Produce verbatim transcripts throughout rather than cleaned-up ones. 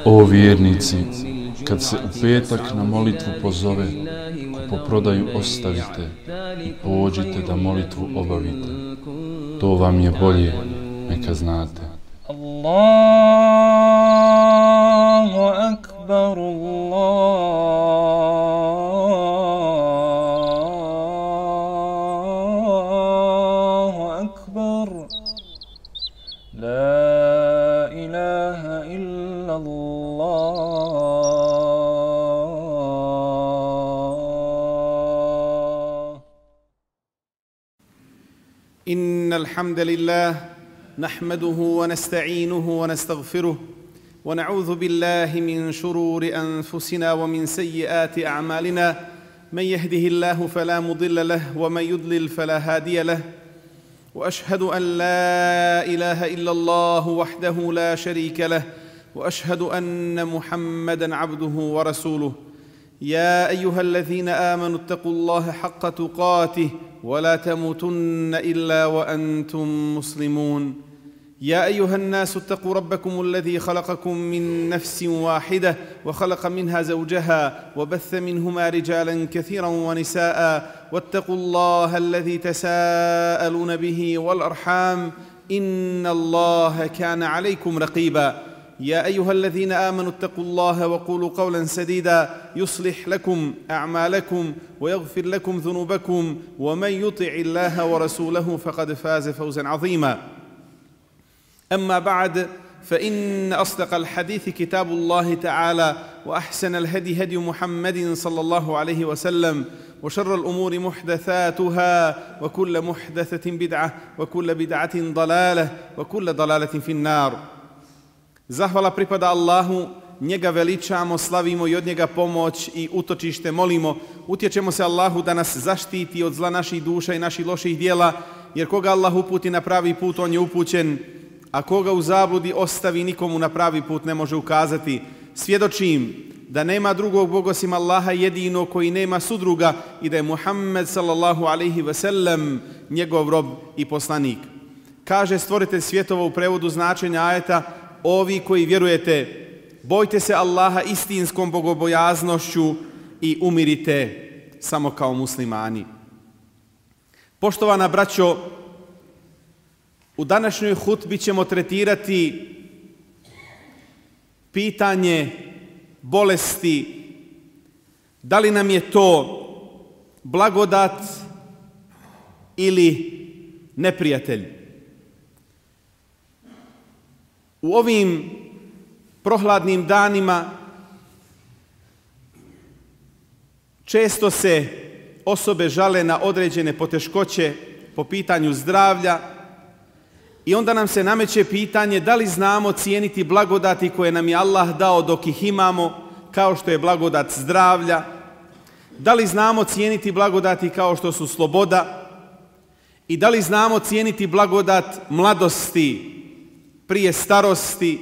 O vjernici, kad se u petak na molitvu pozove, kupoprodaju ostavite i pođite da molitvu obavite. To vam je bolje, neka znate. Allahu akbar, Allahu akbar, la ilaha illa Allah. إن الحمد لله نحمده ونستعينه ونستغفره ونعوذ بالله من شرور أنفسنا ومن سيئات أعمالنا من يهده الله فلا مضل له ومن يضلل فلا هادي له وأشهد أن لا إله إلا الله وحده لا شريك له وأشهد أن محمدًا عبده ورسوله يا أيها الذين آمنوا اتقوا الله حق تقاته ولا تموتن إلا وأنتم مسلمون يا أيها الناس اتقوا ربكم الذي خلقكم من نفس واحدة وخلق منها زوجها وبث منهما رجالا كثيرا ونساء واتقوا الله الذي تساءلون به والأرحام إن الله كان عليكم رقيبا يا أيها الذين آمنوا اتقوا الله وقولوا قولا سديدا يصلح لكم أعمالكم ويغفر لكم ذنوبكم ومن يطع الله ورسوله فقد فاز فوزا عظيما أما بعد فإن أصدق الحديث كتاب الله تعالى وأحسن الهدي هدي محمد صلى الله عليه وسلم وشر الأمور محدثاتها وكل محدثة بدعة وكل بدعة ضلالة وكل ضلالة في النار. Zahvala pripada Allahu, njega veličamo, slavimo i od njega pomoć i utočište molimo. Utječemo se Allahu da nas zaštiti od zla naših duša i naših loših dijela, jer koga Allah uputi na pravi put, on je upućen, a koga u zabludi ostavi, nikomu na pravi put ne može ukazati. Svjedočim da nema drugog Boga osim Allaha jedino koji nema sudruga i da je Muhammed sallallahu alaihi ve sellem njegov rob i poslanik. Kaže stvoritelj svjetova u prevodu značenja ajeta: ovi koji vjerujete, bojte se Allaha istinskom bogobojaznošću i umirite samo kao muslimani. Poštovana braćo, u današnjoj hutbi ćemo tretirati pitanje bolesti. Da li nam je to blagodat ili neprijatelj? U ovim prohladnim danima često se osobe žale na određene poteškoće po pitanju zdravlja i onda nam se nameće pitanje da li znamo cijeniti blagodati koje nam je Allah dao dok ih imamo, kao što je blagodat zdravlja, da li znamo cijeniti blagodati kao što su sloboda i da li znamo cijeniti blagodat mladosti prije starosti,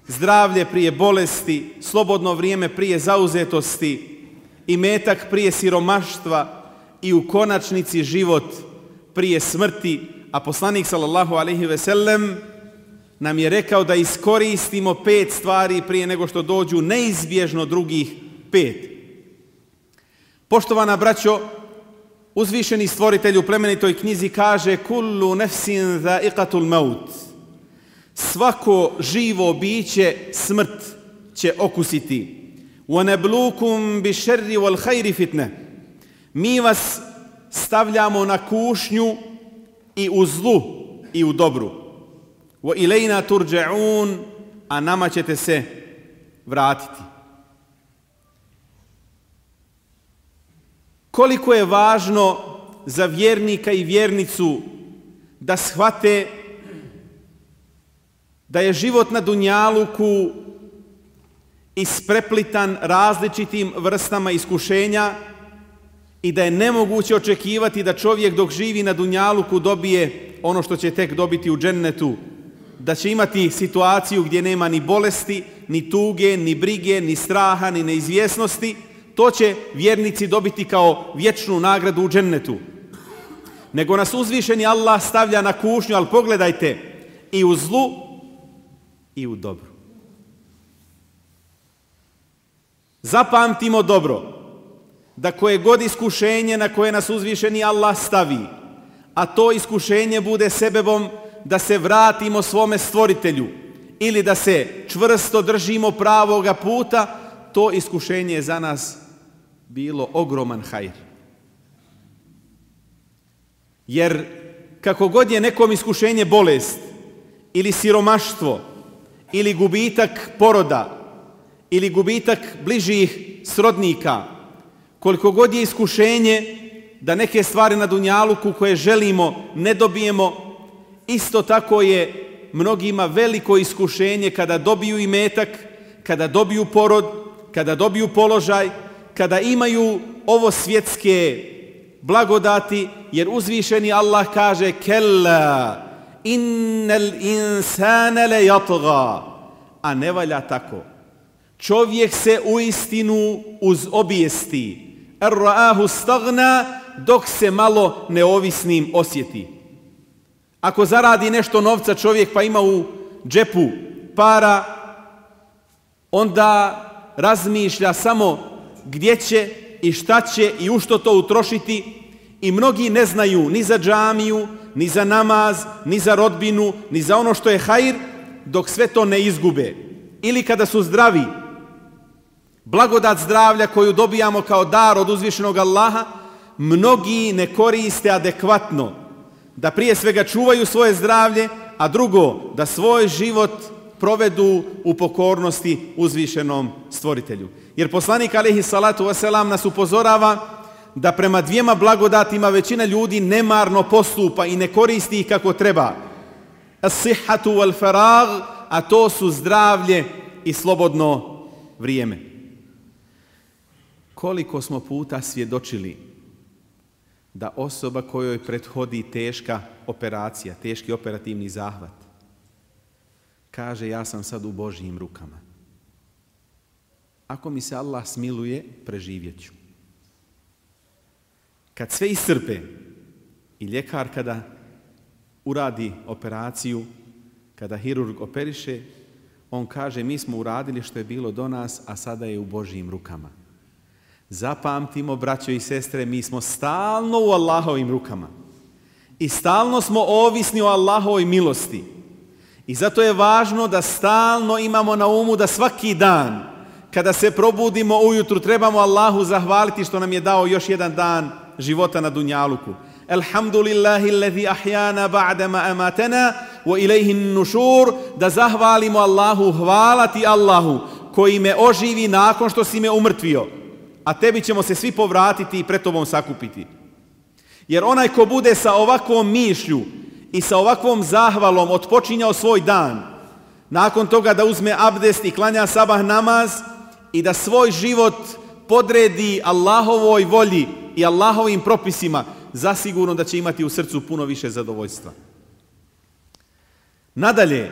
zdravlje prije bolesti, slobodno vrijeme prije zauzetosti, imetak prije siromaštva i u konačnici život prije smrti. A poslanik sallallahu alejhi ve sellem nam je rekao da iskoristimo pet stvari prije nego što dođu neizbježno drugih pet. Poštovana braćo, uzvišeni stvoritelj u plemenitoj knjizi kaže: kullu nefsin za'iqatul maut. Svako živo biće smrt će okusiti. وَنَبْلُوكُمْ بِشَرِّ وَالْخَيْرِ فِتْنَةً. Mi vas stavljamo na kušnju i u zlu i u dobru. وَإِلَيْنَا تُرْجَعُونَ. A nama ćete se vratiti. Koliko je važno za vjernika i vjernicu da shvate da je život na dunjaluku ispreplitan različitim vrstama iskušenja i da je nemoguće očekivati da čovjek dok živi na dunjaluku dobije ono što će tek dobiti u džennetu, da će imati situaciju gdje nema ni bolesti, ni tuge, ni brige, ni straha, ni neizvjesnosti. To će vjernici dobiti kao vječnu nagradu u džennetu. Nego nas uzvišeni Allah stavlja na kušnju, ali pogledajte, i u zlu i u dobru. Zapamtimo dobro da koje god iskušenje na koje nas uzvišeni Allah stavi, a to iskušenje bude sebebom da se vratimo svome stvoritelju ili da se čvrsto držimo pravoga puta, to iskušenje je za nas bilo ogroman hajr. Jer kako god je nekom iskušenje bolest ili siromaštvo ili gubitak poroda ili gubitak bližih srodnika, koliko god je iskušenje da neke stvari na dunjaluku koje želimo ne dobijemo, isto tako je mnogima veliko iskušenje kada dobiju imetak, kada dobiju porod, kada dobiju položaj, kada imaju ovo svjetske blagodati, jer uzvišeni Allah kaže kella innal insana la yatgha, a ne valja tako. Čovjek se uistinu uz obijesti ar-ra'ahu staghna, dok se malo neovisnim osjeti. Ako zaradi nešto novca čovjek pa ima u džepu para, onda razmišlja samo gdje će i šta će i u što to utrošiti, i mnogi ne znaju ni za džamiju, ni za namaz, ni za rodbinu, ni za ono što je hajr, dok sve to ne izgube. Ili kada su zdravi, blagodat zdravlja koju dobijamo kao dar od uzvišenog Allaha, mnogi ne koriste adekvatno, da prije svega čuvaju svoje zdravlje, a drugo, da svoj život provedu u pokornosti uzvišenom stvoritelju. Jer poslanik alejhi salatu vesselam nas upozorava da prema dvijema blagodatima većina ljudi nemarno postupa i ne koristi ih kako treba. As-sihhatu wal farag, a to su zdravlje i slobodno vrijeme. Koliko smo puta svjedočili da osoba kojoj prethodi teška operacija, teški operativni zahvat, kaže ja sam sad u Božjim rukama. Ako mi se Allah smiluje, preživjet ću. Kad sve iscrpe i ljekar kada uradi operaciju, kada hirurg operiše, on kaže mi smo uradili što je bilo do nas, a sada je u Božjim rukama. Zapamtimo, braćo i sestre, mi smo stalno u Allahovim rukama i stalno smo ovisni o Allahovoj milosti. I zato je važno da stalno imamo na umu da svaki dan kada se probudimo ujutru trebamo Allahu zahvaliti što nam je dao još jedan dan života na dunjaluku. Alhamdulillahi allazi ahyana ba'da ma amatana wa ilayhi an-nushur, da zahvalimo Allahu, hvala ti Allahu koji me oživi nakon što si me umrtvio, a tebi ćemo se svi povratiti i pred tobom sakupiti. Jer onaj ko bude sa ovakvom mišlju i sa ovakvom zahvalom otpočinjao svoj dan, nakon toga da uzme abdest i klanja sabah namaz i da svoj život podredi Allahovoj volji i Allahovim propisima, zasigurno da će imati u srcu puno više zadovoljstva. Nadalje,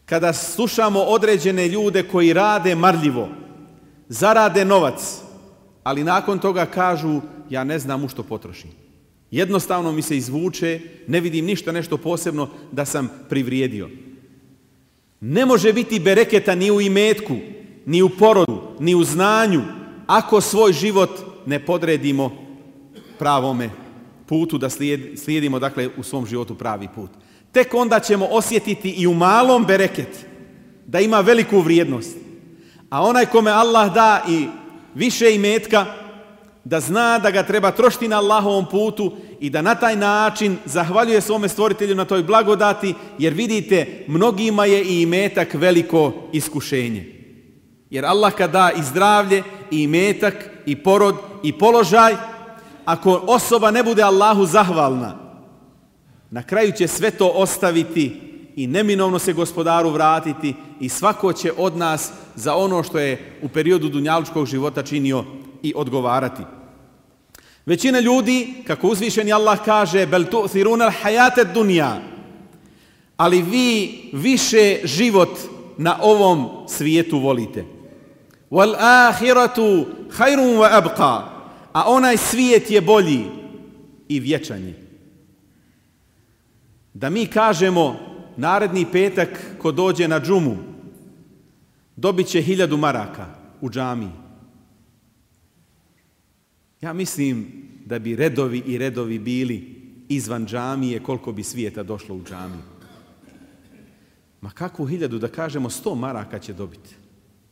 kada slušamo određene ljude koji rade marljivo, zarade novac, ali nakon toga kažu ja ne znam u što potrošim. Jednostavno mi se izvuče, ne vidim ništa nešto posebno da sam privrijedio. Ne može biti bereketa ni u imetku, ni u porodu, ni u znanju, ako svoj život ne podredimo pravome putu, da slijedimo dakle u svom životu pravi put. Tek onda ćemo osjetiti i u malom bereket da ima veliku vrijednost. A onaj kome Allah da i više imetka, da zna da ga treba trošiti na Allahovom putu i da na taj način zahvaljuje svome stvoritelju na toj blagodati, jer vidite, mnogima je i imetak veliko iskušenje. Jer Allah kad da i zdravlje, i imetak, i porod, i položaj, ako osoba ne bude Allahu zahvalna, na kraju će sve to ostaviti i neminovno se gospodaru vratiti i svako će od nas za ono što je u periodu dunjalučkog života činio i odgovarati. Većina ljudi, kako uzvišeni Allah kaže, bel tu'thiruna al-hayata ad-dunya, ali vi više život na ovom svijetu volite. Wal akhiratu khairun wa abqa, a onaj svijet je bolji i vječan je. Da mi kažemo naredni petak ko dođe na džumu dobit će hiljadu maraka, u džamiji. Ja mislim da bi redovi i redovi bili izvan džamije koliko bi svijeta došlo u džamiju. Ma kakvu hiljadu, da kažemo sto maraka će dobiti.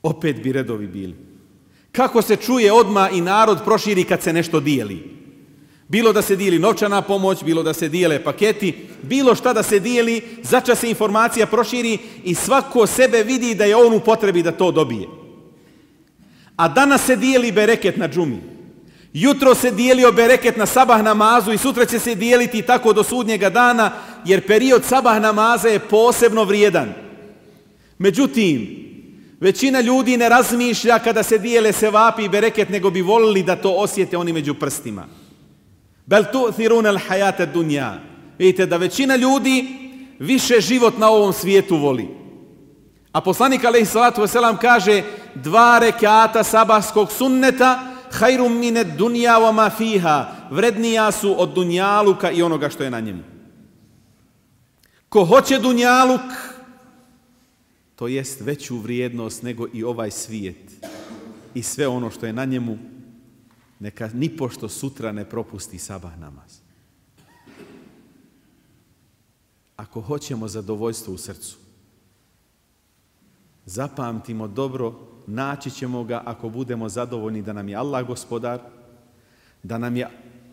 Opet bi redovi bili. Kako se čuje odmah i narod proširi kad se nešto dijeli. Bilo da se dijeli novčana pomoć, bilo da se dijele paketi, bilo šta da se dijeli, začas se informacija proširi i svako sebe vidi da je on u potrebi da to dobije. A danas se dijeli bereket na džumi. Jutro se dijelio bereket na sabah namazu i sutra će se dijeliti tako do sudnjega dana, jer period sabah namaza je posebno vrijedan. Međutim, većina ljudi ne razmišlja kada se dijele sevapi i bereket, nego bi volili da to osjete oni među prstima. Bel tu'thiruna al-hayata ad-dunya. Vidite da većina ljudi više život na ovom svijetu voli. A poslanik alejhi salatu vesselam kaže dva rekata sabahskog sunneta khairum min ad-dunya wa ma fiha, vrednija su od dunjaluka i onoga što je na njemu. Ko hoće dunjaluk, to jest veću vrijednost nego i ovaj svijet i sve ono što je na njemu, neka nipošto sutra ne propusti sabah namaz. Ako hoćemo zadovoljstvo u srcu, zapamtimo dobro, naći ćemo ga ako budemo zadovoljni da nam je Allah gospodar, da nam je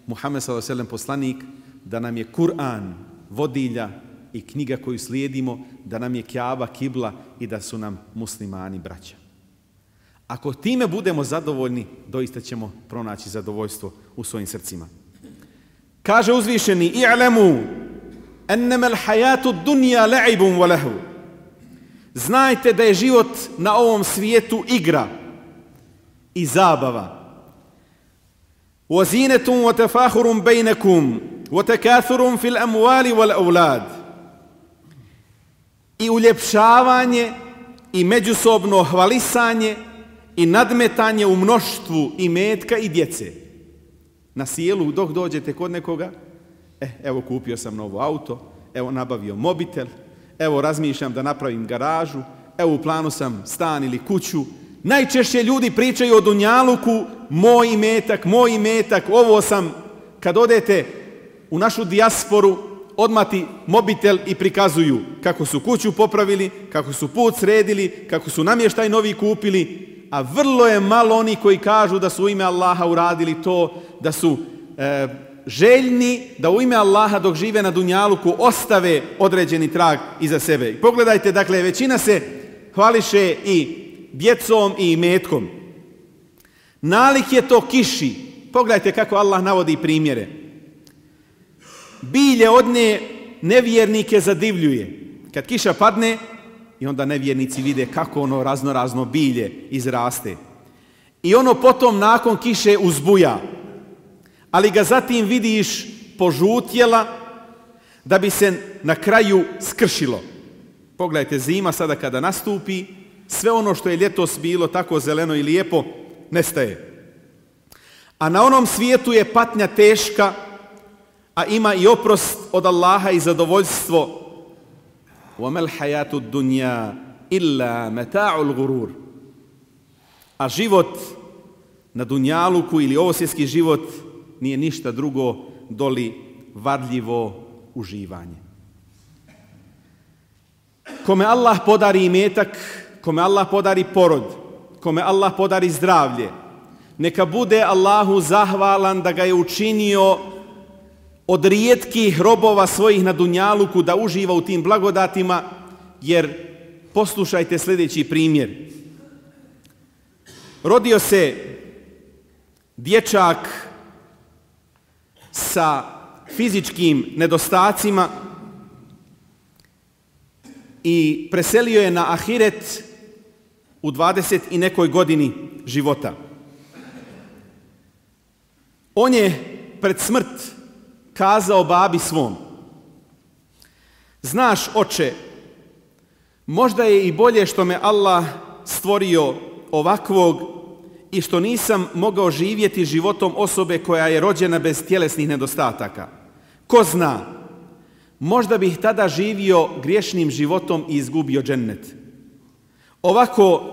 Muhammed sallallahu alejhi ve sellem poslanik, da nam je Kur'an vodilja i knjiga koju slijedimo, da nam je Kjaba kibla i da su nam muslimani braća. Ako time budemo zadovoljni, doista ćemo pronaći zadovoljstvo u svojim srcima. Kaže uzvišeni: "I'lamu annama al-hayatu ad-dunya la'ibun wa lahu." Znajte da je život na ovom svijetu igra i zabava. "Wa zinatun wa tafakhurun bainakum wa takathurun fil amwali wal awlad." I uljepšavanje i međusobno hvalisanje i nadmetanje u mnoštvu imetka i djece. Na sjelu dok dođete kod nekoga, eh, evo kupio sam novo auto, evo nabavio mobitel, evo razmišljam da napravim garažu, evo u planu sam stan ili kuću. Najčešće ljudi pričaju o dunjaluku, moj imetak, moj imetak, ovo sam. Kad odete u našu dijasporu, odmati mobitel i prikazuju kako su kuću popravili, kako su put sredili, kako su namještaj novi kupili, a vrlo je malo oni koji kažu da su u ime Allaha uradili to, da su e, željni da u ime Allaha dok žive na dunjaluku ostave određeni trag iza sebe. I pogledajte, dakle, većina se hvališe i djecom i imetkom. Nalik je to kiši. Pogledajte kako Allah navodi primjere. Bilje od nje nevjernike zadivljuje. Kad kiša padne, i onda nevjernici vide kako ono razno razno bilje izraste. I ono potom nakon kiše uzbuja. Ali ga zatim vidiš požutjela da bi se na kraju skršilo. Pogledajte, zima sada kada nastupi, sve ono što je ljetos bilo tako zeleno i lijepo, nestaje. A na onom svijetu je patnja teška, a ima i oprost od Allaha i zadovoljstvo. وَمَا الْحَيَاتُ الدُّنْيَا إِلَّا مَتَاعُ الْغُرُورِ. A život na dunjaluku ili ovosvjetski život nije ništa drugo doli varljivo uživanje. Kome Allah podari imetak, kome Allah podari porod, kome Allah podari zdravlje, neka bude Allahu zahvalan da ga je učinio od rijetkih robova svojih na dunjaluku da uživa u tim blagodatima, jer poslušajte sljedeći primjer. Rodio se dječak sa fizičkim nedostacima i preselio je na ahiret u dvadeset i nekoj godini života. On je pred smrt kazao babi svom: "Znaš, oče, možda je i bolje što me Allah stvorio ovakvog i što nisam mogao živjeti životom osobe koja je rođena bez tjelesnih nedostataka. Ko zna, možda bih tada živio griješnim životom i izgubio džennet. Ovako,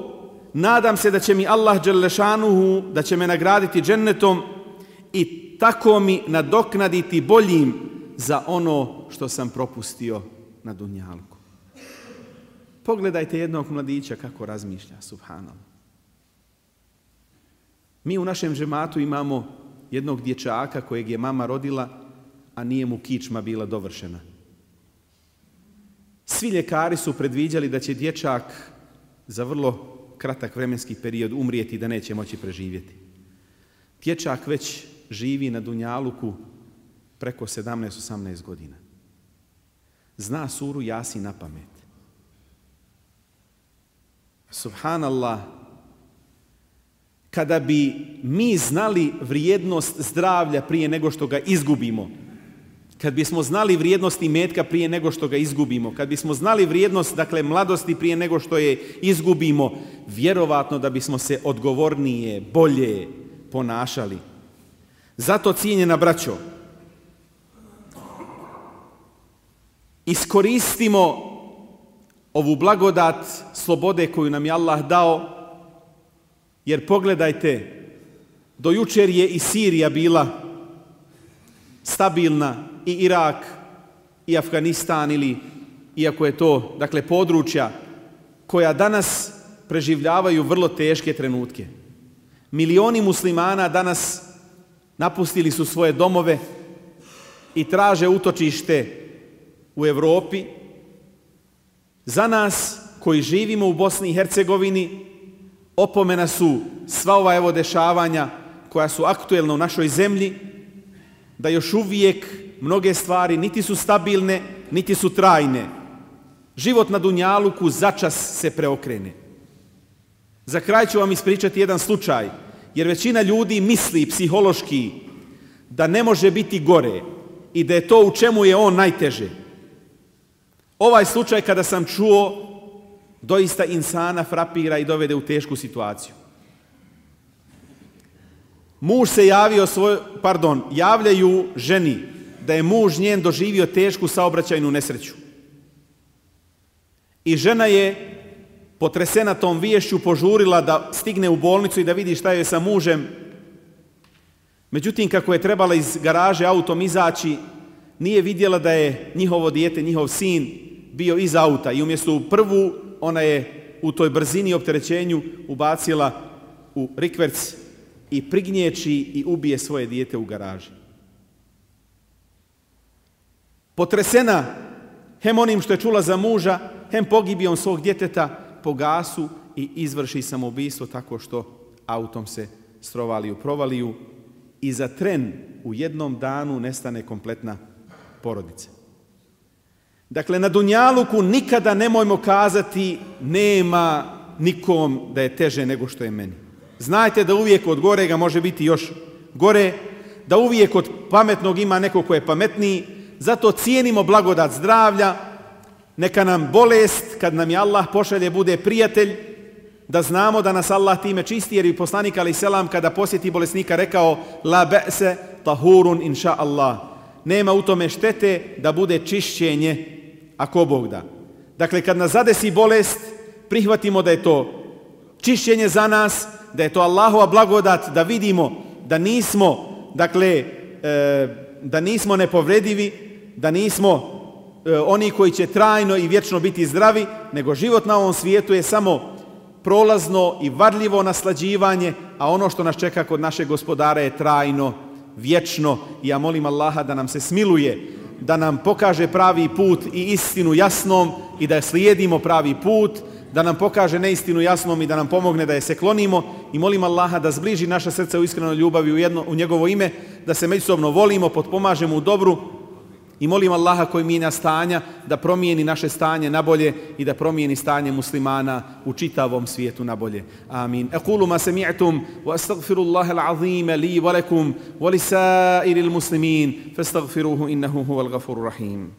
nadam se da će mi Allah dželešanuhu, da će me nagraditi džennetom i tako mi nadoknaditi boljim za ono što sam propustio na dunjalku. Pogledajte jednog mladića kako razmišlja, subhanallah. Mi u našem džematu imamo jednog dječaka kojeg je mama rodila, a nije mu kičma bila dovršena. Svi ljekari su predviđali da će dječak za vrlo kratak vremenski period umrijeti i da neće moći preživjeti. Dječak već živi na dunjaluku preko sedamnaest osamnaest godina. Zna suru Jasin na pamet. Subhanallah, kada bi mi znali vrijednost zdravlja prije nego što ga izgubimo, kad bismo znali vrijednost imetka prije nego što ga izgubimo, kad bismo znali vrijednost, dakle, mladosti prije nego što je izgubimo, vjerovatno da bismo se odgovornije, bolje ponašali. Zato, cijenjena braćo, iskoristimo ovu blagodat slobode koju nam je Allah dao, jer pogledajte, do jučer je i Sirija bila stabilna, i Irak, i Afganistan, ili, iako je to, dakle, područja koja danas preživljavaju vrlo teške trenutke. Milioni muslimana danas napustili su svoje domove i traže utočište u Europi. Za nas koji živimo u Bosni i Hercegovini, opomena su sva ova evo dešavanja koja su aktuelna u našoj zemlji, da još uvijek mnoge stvari niti su stabilne, niti su trajne. Život na dunjaluku začas se preokrene. Za kraj ću vam ispričati jedan slučaj, jer većina ljudi misli psihološki da ne može biti gore i da je to u čemu je on najteže. Ovaj slučaj kada sam čuo, doista insana frapira i dovede u tešku situaciju. Muž se javio svoj, pardon, javljaju ženi da je muž njen doživio tešku saobraćajnu nesreću. I žena je potresena tom viješću požurila da stigne u bolnicu i da vidi šta je sa mužem. Međutim, kako je trebala iz garaže autom izaći, nije vidjela da je njihovo dijete, njihov sin, bio iz auta i umjesto u prvu, ona je u toj brzini i opterećenju ubacila u rikverc i prignječi i ubije svoje dijete u garaži. Potresena hem onim što je čula za muža, hem pogibijom svog djeteta, po gasu i izvrši samoubistvo tako što autom se strovali u provaliju i za tren u jednom danu nestane kompletna porodica. Dakle, na dunjaluku nikada nemojmo kazati nema nikom da je teže nego što je meni. Znajte da uvijek od gorega može biti još gore, da uvijek od pametnog ima neko ko je pametniji, zato cijenimo blagodat zdravlja, neka nam bolest, kad nam je Allah pošalje, bude prijatelj, da znamo da nas Allah time čisti, jer i poslanik alejhi selam kada posjeti bolesnika rekao la ba'se tahurun inša Allah. Nema u tome štete da bude čišćenje ako Bog da. Dakle, kad nas zadesi bolest, prihvatimo da je to čišćenje za nas, da je to Allahova blagodat, da vidimo da nismo, dakle, da nismo nepovredivi, da nismo oni koji će trajno i vječno biti zdravi, nego život na ovom svijetu je samo prolazno i varljivo naslađivanje, a ono što nas čeka kod našeg gospodara je trajno, vječno. I ja molim Allaha da nam se smiluje, da nam pokaže pravi put i istinu jasnom i da slijedimo pravi put, da nam pokaže neistinu jasnom i da nam pomogne da je se klonimo, i molim Allaha da zbliži naša srca u iskrenoj ljubavi u, jedno, u njegovo ime, da se međusobno volimo, potpomažemo u dobru, i molim Allaha koji mijenja stanja da promijeni naše stanje na bolje i da promijeni stanje muslimana u čitavom svijetu na bolje. Amin. Aqulu ma sami'tum wa astaghfirullaha al-azim li wa lakum wa li sa'iril muslimin fastaghfiruhu innahu huwal ghafurur rahim.